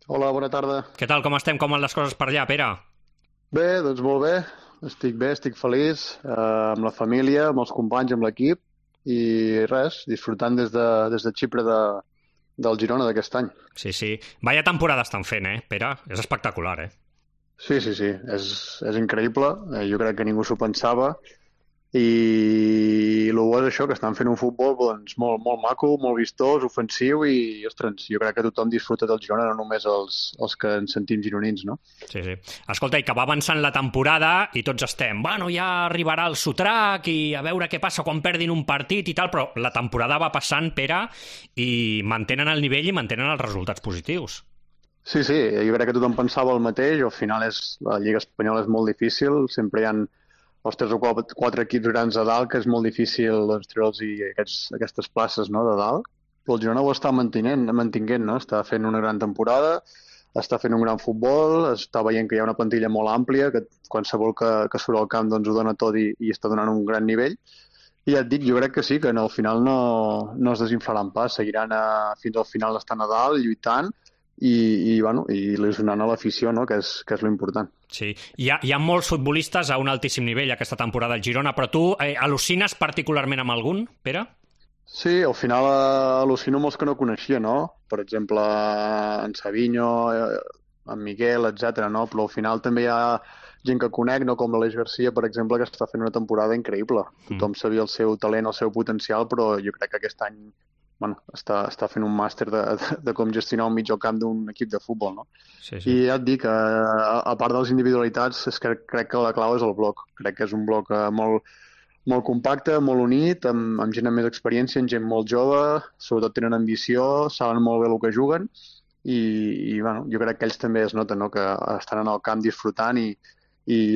Hola, bona tarda. Què tal, com estem? Com van les coses per allà, Pere? Bé, doncs molt bé. Estic bé, estic feliç, amb la família, amb els companys, amb l'equip i res, disfrutant des de Xipre del Girona d'aquest any. Sí, sí. Vaya temporada estan fent, Pere? És espectacular, Sí, sí, sí, és increïble. Jo crec que ningú s'ho pensava i el bo és això, que estan fent un futbol doncs, molt, molt maco, molt vistós, ofensiu i, ostres, jo crec que tothom disfruta del Girona, no només els que ens sentim gironins, no? Sí, sí. Escolta, i que va avançant la temporada i tots estem, bueno, ja arribarà el sotrac i a veure què passa quan perdin un partit i tal, però la temporada va passant, Pere, i mantenen el nivell i mantenen els resultats positius. Sí, sí, jo crec que tothom pensava el mateix, al final la Lliga Espanyola és molt difícil, sempre hi ha els tres o quatre equips grans a dalt, que és molt difícil doncs, treure'ls aquestes places, no, de dalt, però el Girona ho està mantinguent, no? Està fent una gran temporada, està fent un gran futbol, està veient que hi ha una plantilla molt àmplia, que qualsevol que surt al camp doncs, ho dona tot i està donant un gran nivell, i ja et dic, jo crec que sí, que al final no es desinflaran pas, seguiran fins al final estant a dalt, lluitant, bueno, i il·lusionant a l'afició, no? Que és lo important. Sí, hi ha molts futbolistes a un altíssim nivell aquesta temporada al Girona, però tu al·lucines particularment amb algun, Pere? Sí, al final al·lucino amb els que no coneixia, no? Per exemple, en Savinho, en Miguel, etc. no? Però al final també hi ha gent que conec, no? Com l'Aleix Garcia, per exemple, que està fent una temporada increïble. Tothom sabia el seu talent, el seu potencial, però jo crec que aquest any bueno, està fent un màster de com gestionar un mitjocamp d'un equip de futbol, no? Sí, I sí. ja et dic, a part de les individualitats, és que crec que la clau és el bloc. Crec que és un bloc molt, molt compacte, molt unit, amb gent amb més experiència, amb gent molt jove, sobretot tenen ambició, saben molt bé el que juguen bueno, jo crec que ells també es noten, no? Que estan en el camp disfrutant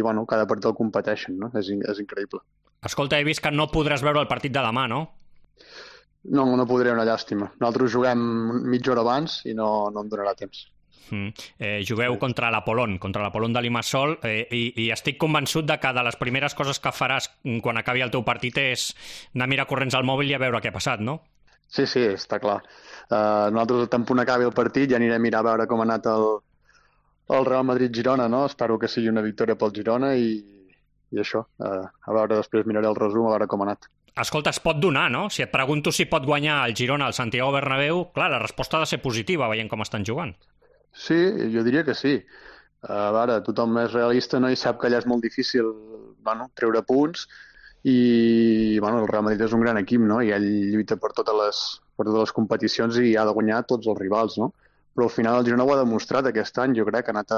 bueno, cada partit el competeixen, no? És increïble. Escolta, he vist que no podràs veure el partit de demà, no? No podré, una llàstima. Nosaltres juguem mitja hora abans i no em donarà temps. Jugueu contra l'Apol·lon de Limassol, i estic convençut de que de les primeres coses que faràs quan acabi el teu partit és anar a mirar corrents al mòbil i a veure què ha passat, no? Sí, sí, està clar. Nosaltres, tant punt acabi el partit, ja anirem a mirar a veure com ha anat el Real Madrid-Girona, no? Espero que sigui una victòria pel Girona i això. A veure, després miraré el resum, a veure com ha anat. Escolta, es pot donar, no? Si et pregunto si pot guanyar el Girona al Santiago Bernabéu, clar, la resposta ha de ser positiva, veient com estan jugant. Sí, jo diria que sí. A veure, tothom és realista, no? I sap que allà és molt difícil, bueno, treure punts bueno, el Real Madrid és un gran equip, no? I ell lluita per totes les competicions i ha de guanyar tots els rivals, no? Però al final el Girona ho ha demostrat aquest any, jo crec que ha anat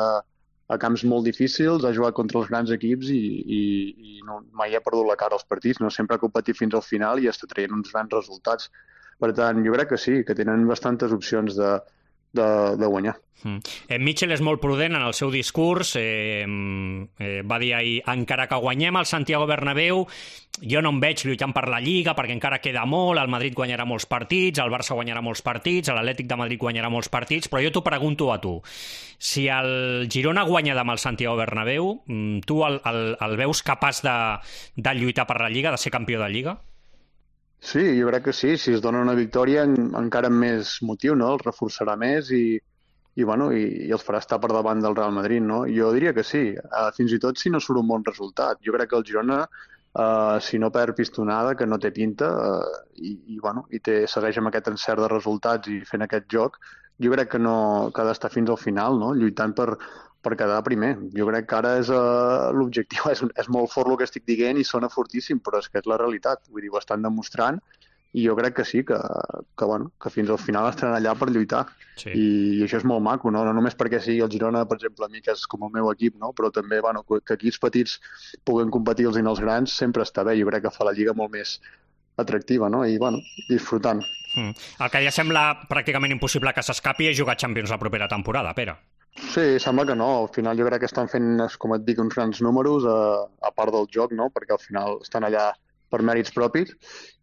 a camps molt difícils, ha jugat contra els grans equips i no, mai ha perdut la cara als partits, no? Sempre ha competit fins al final i està traient uns grans resultats. Per tant, jo crec que sí, que tenen bastantes opcions de guanyar. Mitchell és molt prudent en el seu discurs, va dir ahir, encara que guanyem el Santiago Bernabéu, jo no em veig lluitant per la Lliga perquè encara queda molt, el Madrid guanyarà molts partits, el Barça guanyarà molts partits, l'Atlètic de Madrid guanyarà molts partits, però jo t'ho pregunto a tu, si el Girona guanya demà el Santiago Bernabéu, tu el veus capaç de lluitar per la Lliga, de ser campió de Lliga? Sí, jo crec que sí. Si es dona una victòria encara amb més motiu, no? Els reforçarà més bueno, i els farà estar per davant del Real Madrid, no? Jo diria que sí. Fins i tot si no surt un bon resultat. Jo crec que el Girona, si no perd pistonada, que no té pinta, bueno, segueix amb aquest encert de resultats i fent aquest joc, jo crec que ha d'estar fins al final, no? Lluitant per quedar primer. Jo crec que ara l'objectiu és molt fort el que estic dient i sona fortíssim, però és que és la realitat. Vull dir, ho estan demostrant i jo crec que sí, bueno, que fins al final estaran allà per lluitar. Sí. I això és molt maco, no? No només perquè sigui el Girona, per exemple, a mi que és com el meu equip, no? Però també bueno, que equips petits puguen competir els els grans sempre està bé. Jo crec que fa la Lliga molt més atractiva, no? I, bueno, disfrutant. El que ja sembla pràcticament impossible que s'escapi és jugar Champions la propera temporada, Pere. Sí, sembla que no. Al final jo crec que estan fent, com et dic, uns grans números a part del joc, no? Perquè al final estan allà per mèrits propis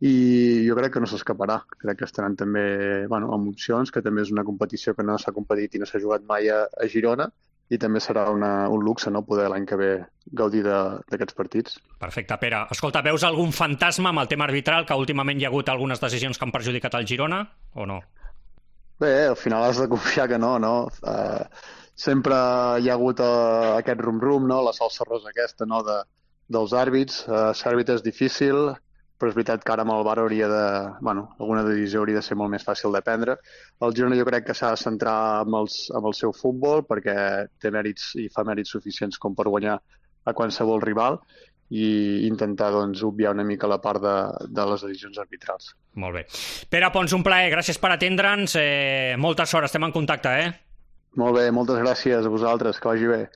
i jo crec que no s'escaparà. Crec que estaran també bueno, amb opcions, que també és una competició que no s'ha competit i no s'ha jugat mai a Girona i també serà un luxe, no?, poder l'any que ve gaudir d'aquests partits. Perfecte, Pere. Escolta, veus algun fantasma amb el tema arbitral, que últimament hi ha hagut algunes decisions que han perjudicat el Girona, o no? Bé, al final has de confiar que no, no? Sempre hi ha hagut aquest rum-rum, no? La salsa rosa aquesta, no? Dels àrbits. Ser àrbitre és difícil, però és veritat que ara amb el VAR hauria de... Bueno, alguna decisió hauria de ser molt més fàcil de prendre. El Girona jo crec que s'ha de centrar amb el seu futbol perquè té mèrits i fa mèrits suficients com per guanyar a qualsevol rival i intentar doncs, obviar una mica la part de les decisions arbitrals. Molt bé. Pere Pons, un plaer, gràcies per atendre'ns. Molta sort, estem en contacte, eh? Molt bé, moltes gràcies a vosaltres, que vagi bé.